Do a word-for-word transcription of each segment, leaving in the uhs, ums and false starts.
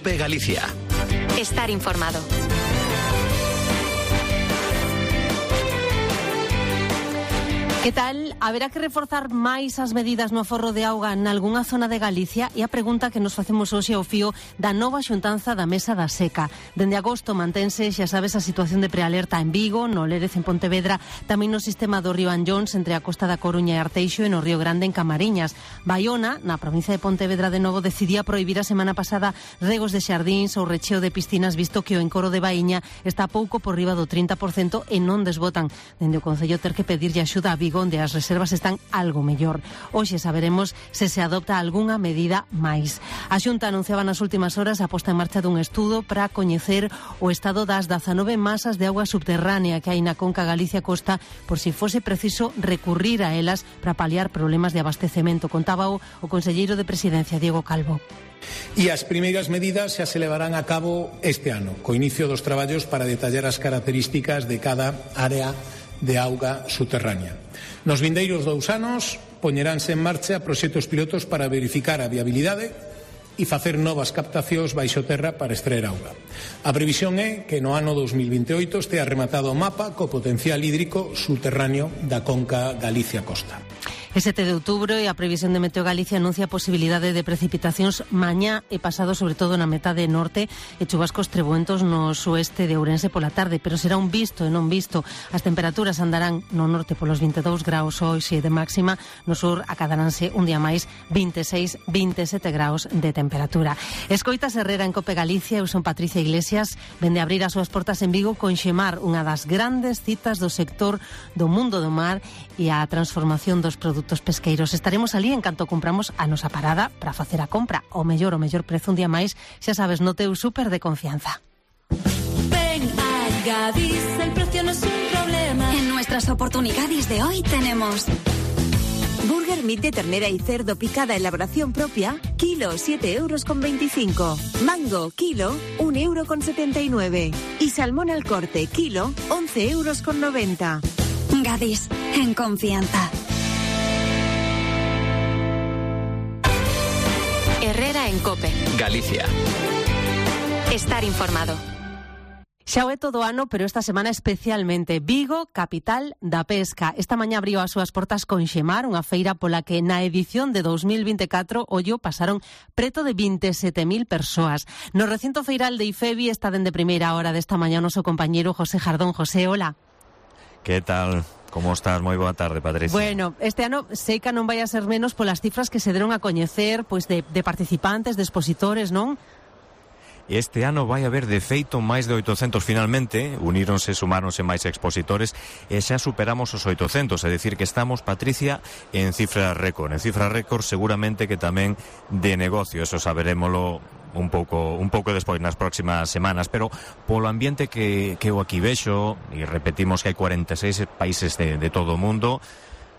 COPE Galicia. Estar informado. Que tal? Haberá que reforzar máis as medidas no aforro de auga nalgunha zona de Galicia? E a pregunta que nos facemos hoxe ao fío da nova xuntanza da Mesa da Seca. Dende agosto mantense, xa sabes, a situación de prealerta en Vigo, no Lérez en Pontevedra, tamén no sistema do río Anllóns entre a costa da Coruña e Arteixo e no río Grande en Camariñas. Baiona, na provincia de Pontevedra de novo, decidía prohibir a semana pasada regos de xardíns ou recheo de piscinas, visto que o encoro de Baíña está pouco por riba do trinta por cento e non desbotan. Dende o Concello ter que pedirlle axuda a Vigo, onde as reservas están algo mellor. Hoxe saberemos se se adopta algunha medida máis. A Xunta anunciaba nas últimas horas a posta en marcha dun estudo para coñecer o estado das dezanove masas de auga subterránea que hai na Conca Galicia Costa, por si fose preciso recurrir a elas para paliar problemas de abastecemento. Contaba o, o conselleiro de Presidencia, Diego Calvo. E as primeiras medidas xa se levarán a cabo este ano, co inicio dos traballos para detallar as características de cada área de auga subterránea. Nos vindeiros dous anos poñeránse en marcha proxectos pilotos para verificar a viabilidade e facer novas captacións baixo terra para extraer auga. A previsión é que no ano dos mil veintioito estea rematado o mapa co potencial hídrico subterráneo da Conca Galicia Costa. E sete de outubro e a previsión de Meteo Galicia anuncia a posibilidade de precipitacións mañá e pasado, sobre todo na metade norte, e chubascos trebuentos no sueste de Ourense pola tarde, pero será un visto e non visto. As temperaturas andarán no norte polos vinte e dous graus hoxe de máxima, no sur acadaránse un día máis vinte e seis, vinte e sete graus de temperatura. Escoitas Herrera en COPE Galicia, eu son Patricia Iglesias, vende abrir as súas portas en Vigo con Xemar, unha das grandes citas do sector do mundo do mar e a transformación dos produtos pesqueiros. Estaremos ali en canto compramos a nosa parada para facer a compra o mellor, o mellor prezo un día máis, xa sabes, no teu súper de confianza. Ven a Gadis, el precio no es un problema. En nuestras oportunidades de hoy tenemos Burger Meat de ternera y cerdo picada elaboración propia, kilo siete euros con veinticinco. Mango, kilo un euro con setenta y nueve. Y salmón al corte, kilo once euros con noventa. Gadis, en confianza. Herrera en COPE Galicia. Estar informado. Xa o é todo ano, pero esta semana especialmente. Vigo, capital da pesca. Esta mañá abriu as súas portas con Xemar, unha feira pola que na edición de dos mil vinte e catro, ollo, pasaron preto de vinte e sete mil persoas. No recinto feiral de Ifevi está dende primeira hora desta mañá o noso compañeiro José Jardón. José, hola. Que tal? Como estás? Moi boa tarde, Patricia. Bueno, este ano sei que non vai a ser menos polas cifras que se deron a coñecer, pois de, de participantes, de expositores, non? Este ano vai haber de feito máis de oitocentos finalmente, uníronse, sumáronse máis expositores e xa superamos os oitocentos, é dicir que estamos, Patricia, en cifra récord, en cifra récord seguramente que tamén de negocio, eso saberémolo un pouco un pouco despois nas próximas semanas, pero polo ambiente que, que eu aquí vexo, e repetimos que hai cuarenta e seis países de, de todo o mundo,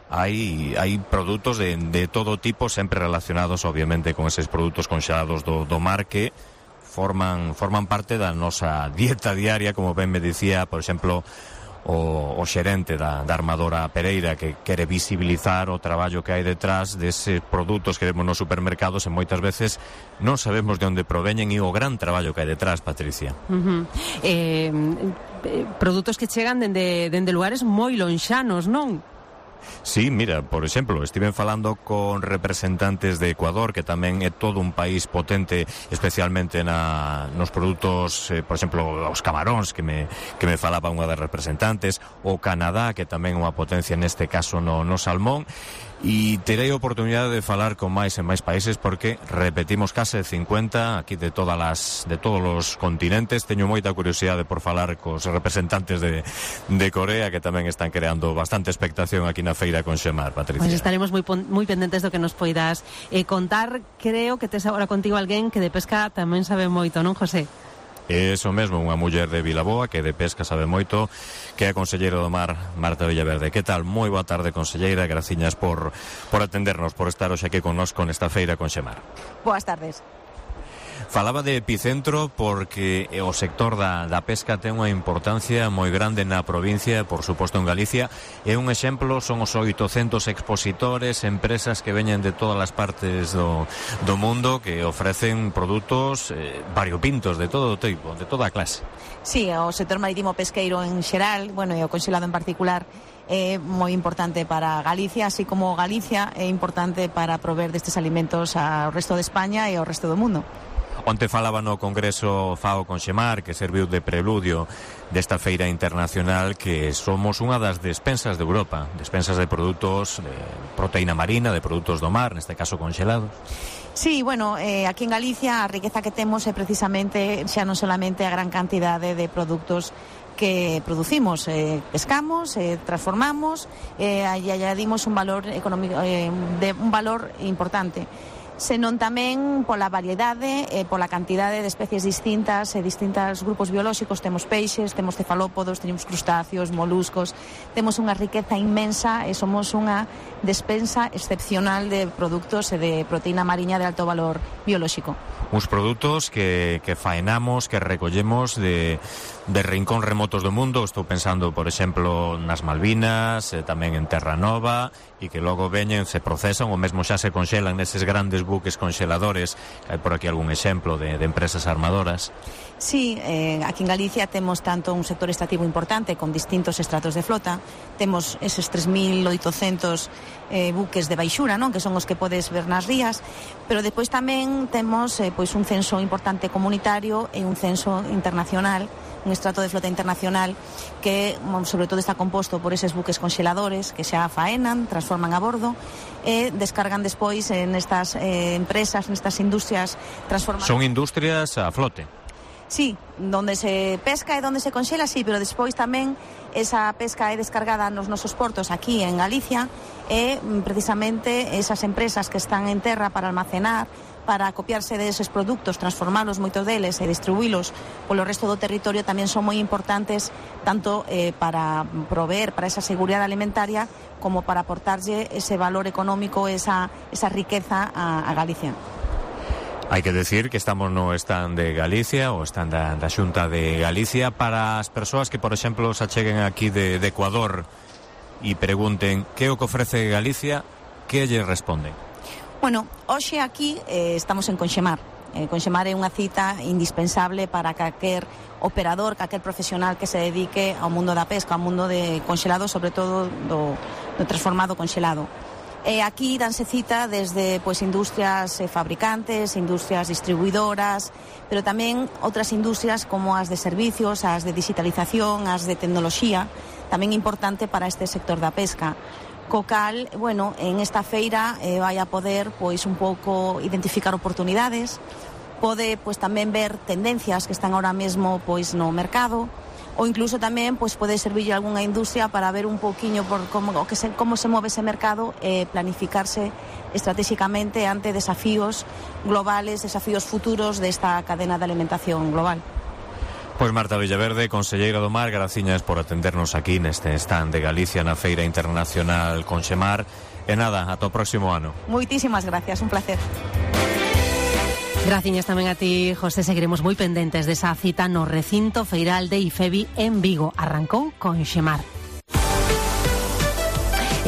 hai hai produtos de, de todo tipo, sempre relacionados obviamente con eses produtos conxelados do, do mar que forman forman parte da nosa dieta diaria, como ben me dicía, por exemplo, o, o xerente da, da armadora Pereira, que quere visibilizar o traballo que hai detrás deses produtos que vemos nos supermercados e moitas veces non sabemos de onde proveñen e o gran traballo que hai detrás, Patricia. Uh-huh. eh, produtos que chegan dende, dende lugares moi lonxanos, non? Sí, mira, por exemplo, estiven falando con representantes de Ecuador, que tamén é todo un país potente, especialmente na, nos produtos, eh, por exemplo, os camaróns, que me, que me falaba unha das representantes, o Canadá, que tamén é unha potencia neste caso no, no salmón, e terei a oportunidade de falar con máis e máis países porque repetimos case cincuenta aquí de todas las, de todos os continentes. Teño moita curiosidade por falar cos representantes de, de Corea, que tamén están creando bastante expectación aquí na feira con Xemar, Patricia. Pois pues estaremos moi moi pendentes do que nos poidas eh, contar. Creo que tes agora contigo alguén que de pesca tamén sabe moito, non, José? Eso mesmo, unha muller de Vilaboa que de pesca sabe moito, que é a conselleira do mar, Marta Villaverde. Que tal? Moi boa tarde, conselleira, graciñas por, por atendernos, por estar hoxe aquí connosco nesta feira con Xemar. Boas tardes. Falaba de epicentro porque o sector da, da pesca ten unha importancia moi grande na provincia, por suposto en Galicia, e un exemplo son os oitocentos expositores, empresas que veñen de todas as partes do, do mundo que ofrecen produtos eh, variopintos de todo tipo, de toda a clase. Sí, o sector marítimo pesqueiro en xeral, bueno, e o conxelado en particular, é moi importante para Galicia, así como Galicia é importante para prover destes alimentos ao resto de España e ao resto do mundo. Onte falaba no Congreso FAO Conxemar, que serviu de preludio desta feira internacional, que somos unha das despensas de Europa, despensas de produtos de proteína marina, de produtos do mar, neste caso conxelados. Sí, bueno, eh, aquí en Galicia a riqueza que temos é precisamente xa non solamente a gran cantidade de produtos que producimos, eh, pescamos, eh, transformamos eh, e añadimos un valor económico, eh, de un valor importante, senón tamén pola variedade e pola cantidade de especies distintas e distintos grupos biolóxicos. Temos peixes, temos cefalópodos, temos crustáceos, moluscos, temos unha riqueza inmensa e somos unha despensa excepcional de produtos e de proteína mariña de alto valor biolóxico. Uns produtos que, que faenamos, que recollemos de, de rincón remotos do mundo. Estou pensando, por exemplo, nas Malvinas, eh, tamén en Terra Nova, e que logo veñen, se procesan ou mesmo xa se conxelan neses grandes buques conxeladores. Hai por aquí algún exemplo de, de empresas armadoras. Sí, eh, aquí en Galicia temos tanto un sector extractivo importante con distintos estratos de flota, temos eses tres mil oitocentos eh, buques de baixura, non? Que son os que podes ver nas rías, pero depois tamén temos eh, pois un censo importante comunitario e un censo internacional, un estrato de flota internacional que sobre todo está composto por eses buques conxeladores que xa faenan, transforman a bordo e descargan despois en estas eh, empresas, nestas industrias transformadoras. Son industrias a flote. Sí, donde se pesca e donde se conxela, sí, pero despois tamén esa pesca é descargada nos nosos portos aquí en Galicia e precisamente esas empresas que están en terra para almacenar, para copiarse deses produtos, transformalos moitos deles e distribuílos polo resto do territorio tamén son moi importantes tanto eh, para proveer para esa seguridade alimentaria como para aportarlle ese valor económico, esa, esa riqueza a, a Galicia. Hai que decir que estamos no stand de Galicia, o stand da, da Xunta de Galicia, para as persoas que, por exemplo, se acheguen aquí de, de Ecuador e pregunten que o que ofrece Galicia, que lle responden? Bueno, hoxe aquí eh, estamos en Conxemar. Eh, Conxemar é unha cita indispensable para calquer operador, calquer profesional que se dedique ao mundo da pesca, ao mundo de conxelado, sobre todo do, do transformado conxelado. Eh, aquí danse cita desde pois, industrias eh, fabricantes, industrias distribuidoras, pero tamén outras industrias como as de servicios, as de digitalización, as de tecnoloxía, tamén importante para este sector da pesca. Co cal, bueno, en esta feira eh, vai a poder pois un pouco identificar oportunidades, pode pois tamén ver tendencias que están ahora mesmo pois no mercado, ou incluso tamén pois pode servir algunha industria para ver un pouquiño por como que se como se move ese mercado e planificarse estratégicamente ante desafíos globales, desafíos futuros desta cadena de alimentación global. Pois Marta Villaverde, conselleira do Mar, graciñas por atendernos aquí neste stand de Galicia na Feira Internacional Conxemar. E nada, ata o próximo ano. Moitísimas gracias, un placer. Graciñas tamén a ti, José. Seguiremos moi pendentes desa cita no recinto feiral de IFEBI en Vigo. Arrancou Conxemar.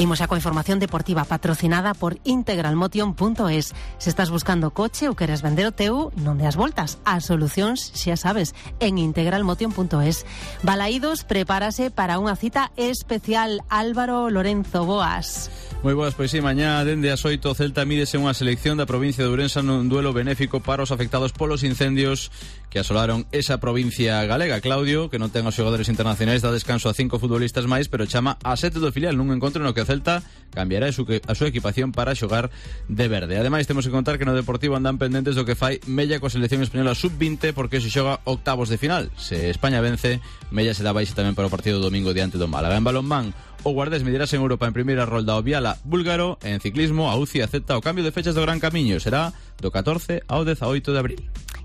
Imos xa coa información deportiva patrocinada por integralmotion punto es. Se estás buscando coche ou queres vender o teu, non deas voltas. As solucións, xa sabes, en integralmotion punto es. Balaídos prepárase para unha cita especial. Álvaro Lorenzo, boas. Moi boas, pois sí, mañá dende as oito o Celta mídese unha selección da provincia de Ourense nun duelo benéfico para os afectados polos incendios que asolaron esa provincia galega. Claudio, que non ten os xogadores internacionais, dá descanso a cinco futbolistas máis, pero chama a sete do filial nun encontro no que o Celta cambiará a súa equipación para xogar de verde. Ademais, temos que contar que no Deportivo andan pendentes do que fai Mella coa selección española sub vinte porque se xoga octavos de final. Se España vence, Mella se dá baixa tamén para o partido do domingo diante do Málaga. En balonmán, o Guardés medirase en Europa en primeira rolda o Viala búlgaro. En ciclismo, a U C I acepta o cambio de fechas do Gran Camiño. Será do catorce ao dezaoito de abril.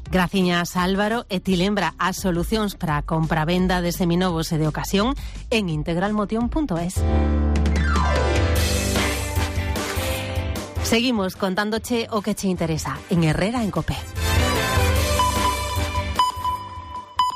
Graciñas, Álvaro. E ti lembra as solucións para a compra-venda de seminovos e de ocasión en integralmotion punto es. Seguimos contándoche o que che interesa en Herrera en Cope.